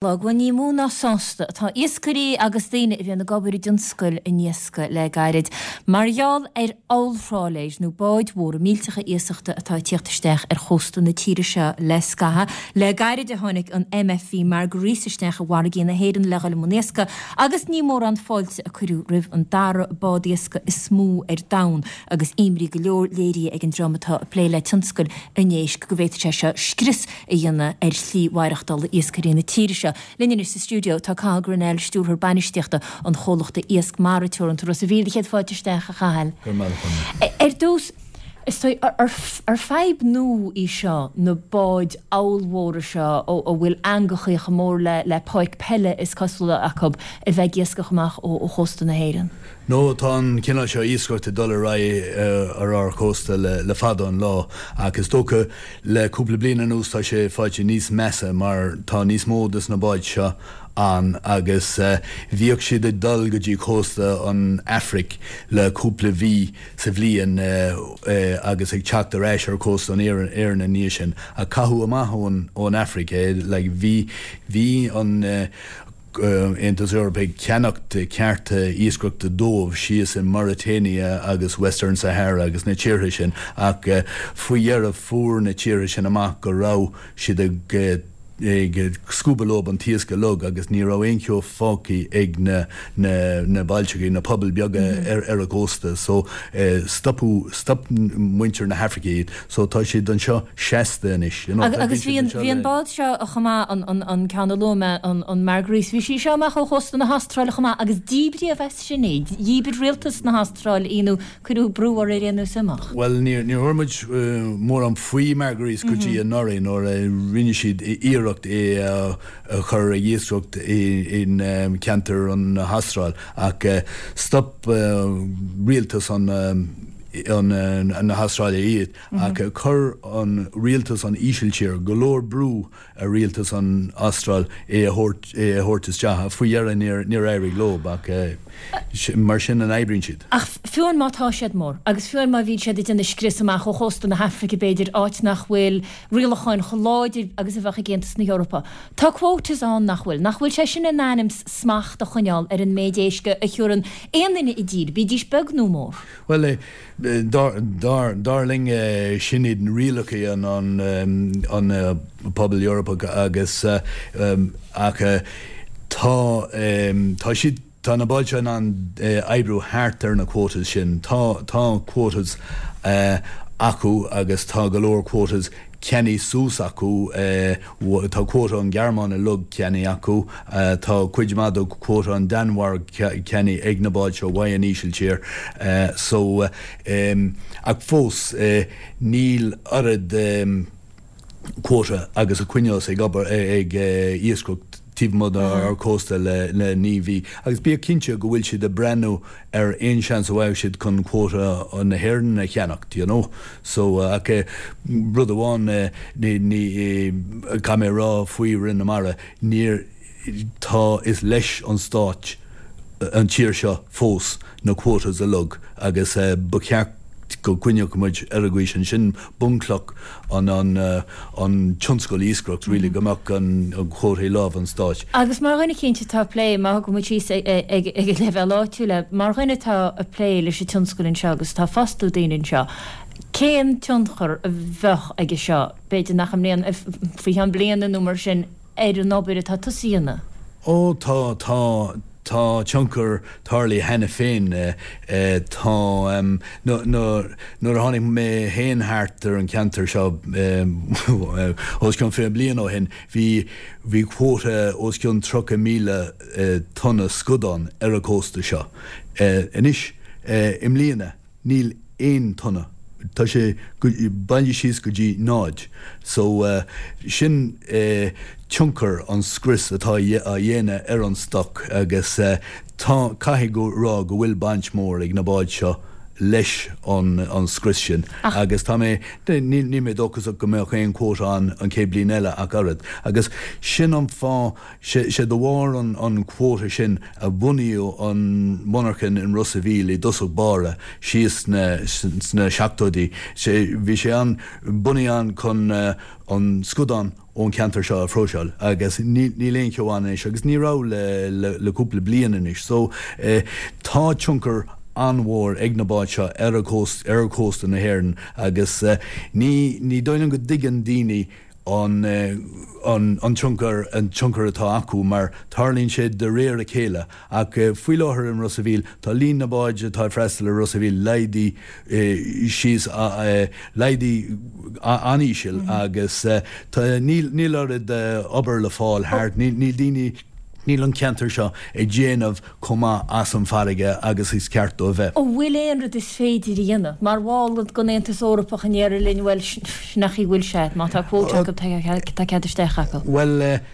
Bhuel, ní mó ná sásta atá iascairí agus daoine a bhíonn ag obair i dtionscal an iascaigh le gairid mar gheall ar ollthrálaeir nó báid mhóra millteacha iasachta atá ag tíocht isteach ar chósta na tíre seo le scaitheamh. Le gairid a tháinig an MFV Margaris isteach i bhfarraigí na hÉireann le dhul i mbun iascaigh agus ní mórán fáilte a cuireadh roimh an dara bád iascaigh is mó ar domhan agus imní go leor léirithe ag an dream atá ag plé le tionscal an éisc go bhféadfadh sé seo scrios a dhéanamh ar shlí mhaireachtála iascairí na tíre seo. Linn anois sa stiúideo tá Cathal Grennell, Stiúrthóir Bainistíochta an chomhlachta Iasc Mara Teoranta Ros a' Mhíl. Céad fáilte isteach, a Chathail. Go raibh maith agat, Áine. Ar dtús, is dóigh, ar fadhb nua í seo, na báid ollmhóra seo a bhfuil eangachaí chomh mór le páirc peile is cosúla acu a bheith ag iascach amach ó chósta na hÉireann? No, tá an cineál seo iascaireachta ag dul ar aghaidh ar ár chósta le fada an lá ach is dócha Le cúpla bliain anuas tá sé faighte níos measa mar tá níos mó des na báid seo ann agus bhíodh siad ag dul go dtí cósta an Afraic le cúpla mhí sa bhliain agus ag teacht ar ais ar cósta an Éireann ina ndiaidh sin ach caitheadh amach ón Afraic é like bhí bhí an Aontas Eorpach ag ceannacht cearta iascaireachta dóibh síos i Mauritania agus Western Sahara agus na tíortha sin ach faoi dheireadh fuair na tíortha sin amach go raibh siad ag ag scuabadh leob an t-iasc uilig agus ní raibh aon cheo fágtha ag na na na bailteachaí, na pobail beaga ar ar an gcósta so stopadh stop muintir na hAfraice iad so tá siad anseo seasta anois you know. Agus bhí an bhí an bád seo chomh maith, an an an ceann a luaigh mé, an an Margaris, bhí sí seo amach ó chósta na hAstráile chomh maith agus díbríodh as sin í, dhíbir rialtas na hAstráile í nó cuireadh brú uirthi ar aon nós imeacht. Bhuel níor níor chuala muid mórán faoi Margaris go dtí anuraidh nuair a rinne siad iarracht é a a chur ag iascaireacht in ceantar an hAstráil ach stop rialtas an na hAstráile iad ach chuir an rialtas an Ísiltír go leor brú ar rialtas an Astráil é a thabhairt é a thabhairt isteach ach faoi dheireadh níor níor éirigh leo ach mar sin an oibríonn siad. Ach fiú amháin má tá siad mór agus fiú amháin má bhíonn siad ag déanamh scrios amach ó chósta na hAfraice b'fhéidir, áit nach bhfuil rialacháin chomh láidir agus a bheadh ag Aontas na hEorpa. Tá quotas ann, nach bhfuil? Nach bhfuil sé sin in ainm 's smacht a choinneáil ar an méid éisc a thiúrann aon duine i dtír, bídís beag nó mór? Bhuel, dar linn, sin iad na rialacha an pobal Eorpach agus ach tá tá siad Tá na báid seo in ann oibriú thart ar na quotas sin. Tá, tá quotas acu agus tá go leor quotas ceannaithe suas acu. Tá quota an Ghearmáin uilig ceannaithe acu. Tá cuid maith de quota an Danmhairg ceannaithe ag na báid seo uaidh an Ísiltír. So, ach fós níl oiread. quota agus a choinneos ag obair ag iascaireacht taobh amuigh dár cósta le 9 mhí agus bíodh cinnte go bhfuil siad ag breathnú ar aon seans a bhfaigheadh siad chun quota na hÉireann a cheannacht you know so ach rud amháin ní ní caithfidh mé a rá faoi Roinn na Mara níor tá is leis an stáit an tír seo fós na quotas uilig agus ba cheart go gcoinneodh muid ar an gcaoi sin. Sin bunchloch an an tionscal iascaireacht really, go mbeadh an quota i lámh an stáit. Agus mar dhuine cinnte atá ag plé, má thugann muid síos ag an leibhéal áitiúil é, mar dhuine atá ag plé leis an tionscal anseo agus atá ag fostú daoine anseo, cén tionchar a bheadh aige seo, b'fhéidir nach i mbliana, faoi cheann bliana nó mar sin, ar an obair atá tusa a dhéanamh? Ó tá, tá, tá tionchar tarlaithe cheana féin. Tá, nuair a tháinig mé féin thart ar an cheantar seo os cionn 20 bliain ó shin, bhí, bhí quota os cionn 30,000 tonna scadán ar an chósta seo. Anois, i mbliana, Níl aon tonna. Tá sé bailithe síos go dtí náid. So, sin tionchar an scrios atá á dhéanamh ar an stoc agus tá, caithfidh go rá go bhfuil baint mór ag na báid seo leis an scrios sin agus tá mé, níl mé dóchasach go mbeadh aon quota ann an chéad bliain eile ach oiread. Agus sin an fáth Sé de bharr an quota sin a bunaíodh an mhonarchan in Ros a' Mhíl i dtosach báire síos sna seachtóidí. Bhí sé an, bunaithe ann chun an scadán ón cheantar seo a phróiseáil agus níl aon cheo ann anois agus ní raibh le cúpla bliain anois. So tá tionchar an-mhór ag na báid seo ar ar chósta na hÉireann agus ní ní dóigh liom go dtuigeann daoine an an tionchar an tionchar atá acu mar tarlaíonn sé de réir a chéile ach faoi láthair in Ros a' Mhíl tá líon na báid atá ag freastal ar Ros a' Mhíl laghdaithe síos laghdaithe an-íseal agus tá níl níl oiread obair le fáil thart níl níl daoine níl an ceantar seo ag déanamh chomh maith as an bhfarraige agus is ceart dó a bheith. An bhfuil aon rud is féidir a dhéanamh? Mar bhall den Aontas Eorpach an ndéarfar linn, bhuel, sin an chaoi a bhfuil sé, má tá quota acu, tá cead isteach acu? Bhuel,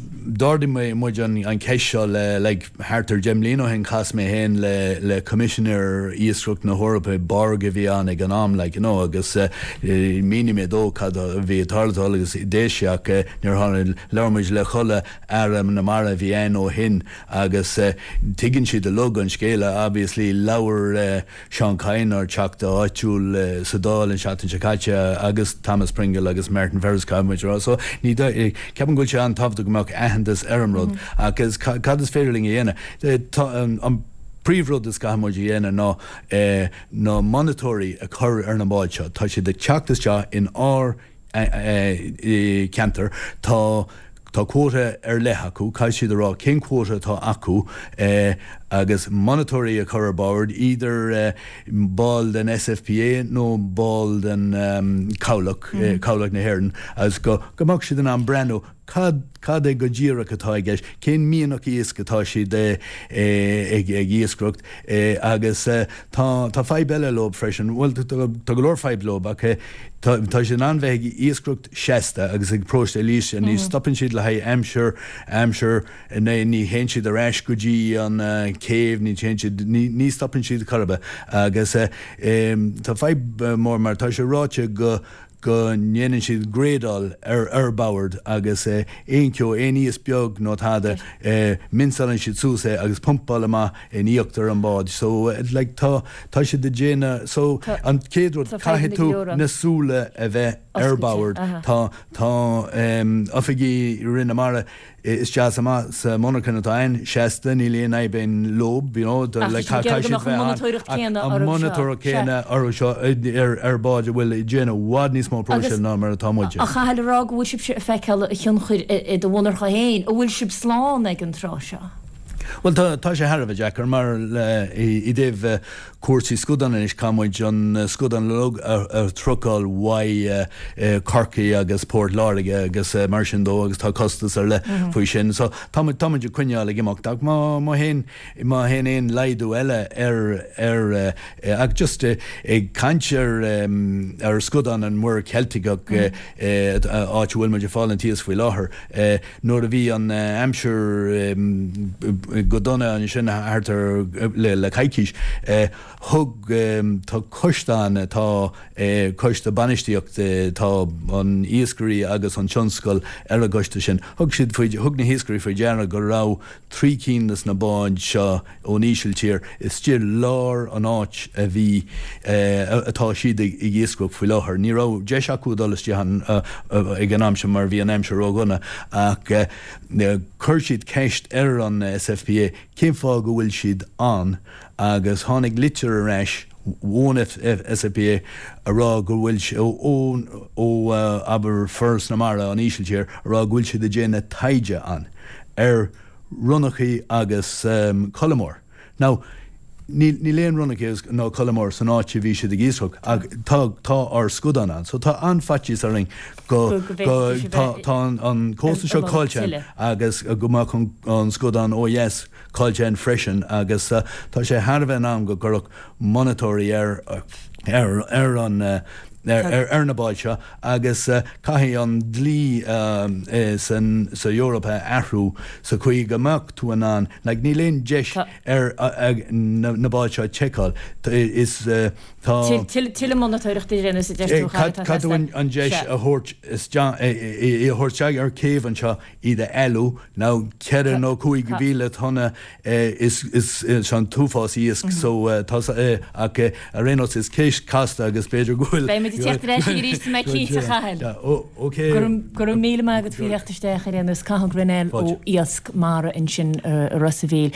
d'ardaigh muid an cheist seo le, like, thart ar dheich mbliana ó shin, chas mé féin le, le Coimisinéir Iascaireachta na hEorpa, Borg a bhí ann ag an am, like, you know, agus mhínigh mé dó cad a bhí ag tarlú agus d'éist sé ach níor tháinig, labhair muid le chuile Aire na Mara a bhí ann ó shin agus tuigeann siad uilig an scéal. Obviously labhair Seán Kyne, ár Teachta áitiúil sa Dáil an seachtain seo caite agus Thomas Pringle agus Martin Ferris caithfidh muid a rá. So ní ceapaim go bhfuil sé an-tábhachtach go mbeadh aitheantas ar an rud agus cad is féidir linn a dhéanamh? Tá an príomhrud is caithfidh muid a dhéanamh ná na monatóirí a chur ar na báid seo. Tá siad ag teacht isteach in ár ceantar. Tá tá quota ar leith acu, caithfidh siad a rá cén quota atá acu agus monatóirí a chur ar bord, idir ball den SFPA nó ball den Chabhlach, Cabhlach na hÉireann, agus go go mbeadh siad in ann breathnú cad cad é go díreach atá i gceist, cén mianach iasc atá siad ag ag iascaireacht agus tá tá fadhb eile leo freisin, bhuel tá go leor fadhb leo ach Tá siad in ann bheith ag iascaireacht seasta agus ag próiseáil iasc, ní stopann siad le haghaidh aimsir, aimsir, ní théann siad ar ais go dtí an céibh, ní théann siad, ní stopann siad chor ar bith. Agus tá fadhb mór mar tá sé ráite go go ndéanann siad gréadáil ar ar bord agus aon cheo, aon iasc beag nó tada, minseálann siad suas é agus pumpáil amach in íochtar an báid so like tá tá siad ag déanamh so an chéad rud caithfidh tú na súile a bheith ar bord tá tá oifigigh Roinn na Mara isteach is amach sa monarchan atá ann seasta níl aon fhadhb againn leo you know like caithfidh siad bheith ann an monatóireacht céanna orthu seo ar ar báid a bhfuil ag déanamh i bhfad níos mó próiseáil ná mar atá muide. A Chathail a rá go bhfuil sibhse ag feiceáil a thionchair i do mhonarcha féin, an bhfuil sibh slán ag an tráth seo? Bhuel, tá, tá sé thar a bheith deacair mar i dtaobh cúrsaí scadán anois, caithfidh muid an scadán uilig a trucail uaidh Corcaigh agus Port Láirge agus mar sin dó agus tá costas ar leith faoi sin. So tá muid, tá muid ag coinneáil ag imeacht ach má, má théann, má théann aon laghdú eile ar, ar, ach just ag caint ar, ar scadán an Mhuir Cheiltigh, áit a bhfuil muid ag fáil an t-iasc faoi láthair, Nuair a bhí an aimsir go dona ansin thart ar le coicís, thug, tá coiste ann, tá coiste bainistíochta, tá an iascairí agus an tionscal ar an gcoiste sin, thug siad faoi, thug na hiascairí faoi deara go raibh 3 cinn des na báid seo ón Ísiltír istigh lár an áit a bhí, atá siad ag iascaireacht faoi láthair. Ní raibh deis acu dul istigh ann ag an am sin mar bhí an aimsir ródhona ach chuir siad ceist ar an SFPA cén fáth go bhfuil siad ann agus tháinig litir ar ais ón SFPA a rá go bhfuil, ón, ó abair Foras na Mara, an Ísiltír, a rá go bhfuil siad ag déanamh taighde ann ar ronnachaí agus colamóir. Now, níl, níl aon ronnachaí agus, nó colamóir san áit a bhí siad ag iascach ach tá, tá ár scadán ann. So tá an-fhaitíos orainn go, go, tá, tá an, an cósta seo caillte againn agus go mbeadh an, an scadán ó dheas caillte againn freisin agus tá sé thar a bheith in am go gcuirfeadh monatóirí ar, ar, ar an, ar na báid seo agus caithfidh an dlí sa Eoraip a athrú sa chaoi go mbeadh tú in ann, like níl aon deis ar na báid seo a tseiceáil. Is tá. Tuilleadh monatóireachta a dhéanamh sa deis tú Caithfidh tú an deis a thabhairt isteach, í a thabhairt isteach ar céibh anseo iad a fheiliú, nó 4 nó 5,000 tonna is is an t-uafás iasc so tá ach ar aon nós is ceist casta agus b'fhéidir go bhfuil Beidh muid. Beimid ag teacht ar ais arís tá mé cinnte a Chathail. Ok. Go raibh míle maith agat faoi theacht isteach ar aon nós, Cathal Grennell ó Iasc Mara ansin i Ros a' Mhíl.